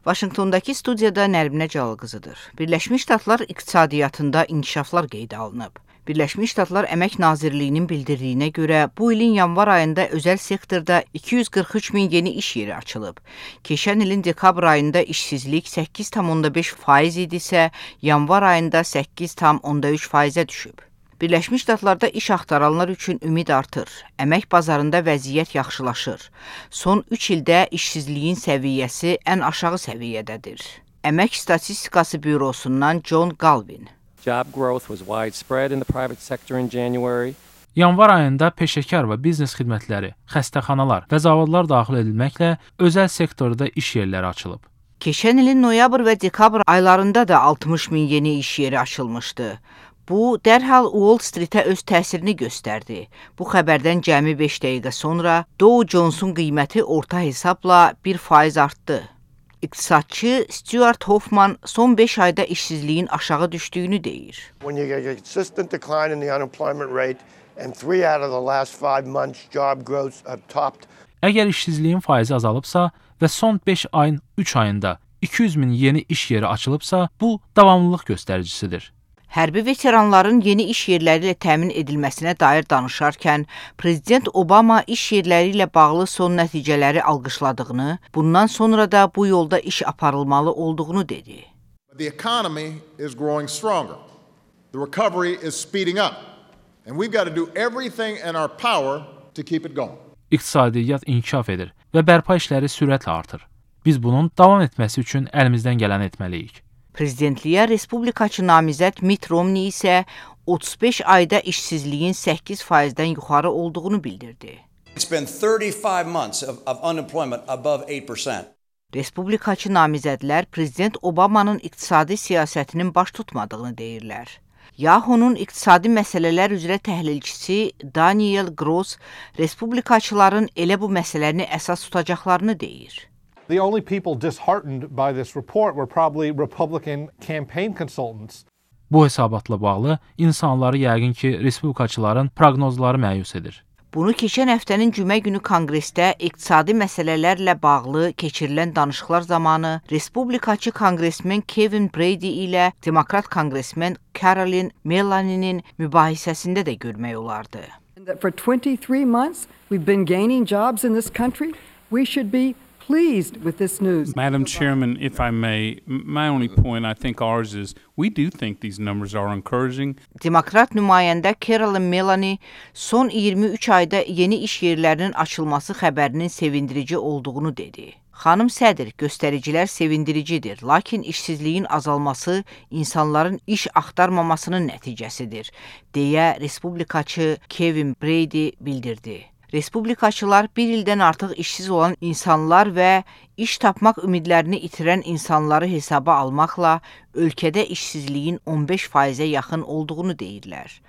Vaşinqtondakı studiyada Nərminə Cəlal-qızıdır. Birləşmiş Ştatlar iqtisadiyyatında inkişaflar qeydə alınıb. Birləşmiş Ştatlar Əmək Nazirliyinin bildirdiyinə görə bu ilin yanvar ayında özəl sektorda 243 min yeni iş yeri açılıb. Keçən ilin dekabr ayında işsizlik 8,5% idisə, yanvar ayında 8,3%-ə düşüb. Birləşmiş Ştatlarda iş axtaranlar üçün ümid artır. Əmək bazarında vəziyyət yaxşılaşır. Son 3 ildə işsizliyin səviyyəsi ən aşağı səviyyədədir. Əmək Statistikası Bürosundan John Galvin. Job growth was widespread in the private sector in January. Yanvar ayında peşəkar və biznes xidmətləri, xəstəxanalar və zavodlar daxil edilməklə özəl sektorda iş yerləri açılıb. Keçən ilin noyabr və dekabr aylarında da 60 min yeni iş yeri açılmışdı. Bu, dərhal Wall Street-ə öz təsirini göstərdi. Bu xəbərdən cəmi 5 dəqiqə sonra Dow Jones-un qiyməti orta hesabla 1% artdı. İqtisadçı Stuart Hoffman son 5 ayda işsizliyin aşağı düşdüyünü deyir. When you get a consistent decline in the unemployment rate and 3 out of the last 5 months job growth have topped. Əgər işsizliyin faizi azalıbsa və son 5 ayın 3 ayında 200 min yeni iş yeri açılıbsa, bu davamlılıq göstəricisidir. Hərbi veteranların yeni iş yerləri ilə təmin edilməsinə dair danışarkən, Prezident Obama iş yerləri ilə bağlı son nəticələri alqışladığını, bundan sonra da bu yolda iş aparılmalı olduğunu dedi. The economy is growing stronger. The recovery is speeding up. And we've got to do everything in our power to keep it going. İqtisadiyyat inkişaf edir və bərpa işləri sürətlə artır. Biz bunun davam etməsi üçün əlimizdən gələni etməliyik. Prezidentliyə respublikaçı namizəd Mitt Romney isə 35 ayda işsizliyin 8%-dən yuxarı olduğunu bildirdi. It's been 35 months of unemployment above 8%. Respublikaçı namizədlər Prezident Obamanın iqtisadi siyasətinin baş tutmadığını deyirlər. Yahoo'nun iqtisadi məsələlər üzrə təhlilçisi Daniel Gross, respublikaçıların elə bu məsələni əsas tutacaqlarını deyir. The only people disheartened by this report were probably Republican campaign consultants. Bu hesabatla bağlı insanları yəqin ki, respublikaçıların proqnozları məyus edir. Bunu keçən həftənin cümə günü Konqresdə iqtisadi məsələlərlə bağlı keçirilən danışıqlar zamanı respublikaçı konqresmen Kevin Brady ilə demokrat konqresmen Carolyn Melani'nin mübahisəsində də görmək olardı. For 23 months we've been gaining jobs in this country. We should be pleased with this news. Madam Chairman, if I may, my only point I think ours is we do think these numbers are encouraging. Demokrat nümayəndə Carolyn Melani son 23 ayda yeni iş yerlərinin açılması xəbərinin sevindirici olduğunu dedi. Xanım sədr, göstəricilər sevindiricidir, lakin işsizliyin azalması insanların iş axtarmamasının nəticəsidir, deyə respublikaçı Kevin Brady bildirdi. Respublikaçılar bir ildən artıq işsiz olan insanlar və iş tapmaq ümidlərini itirən insanları hesaba almaqla ölkədə işsizliyin 15%-ə yaxın olduğunu deyirlər.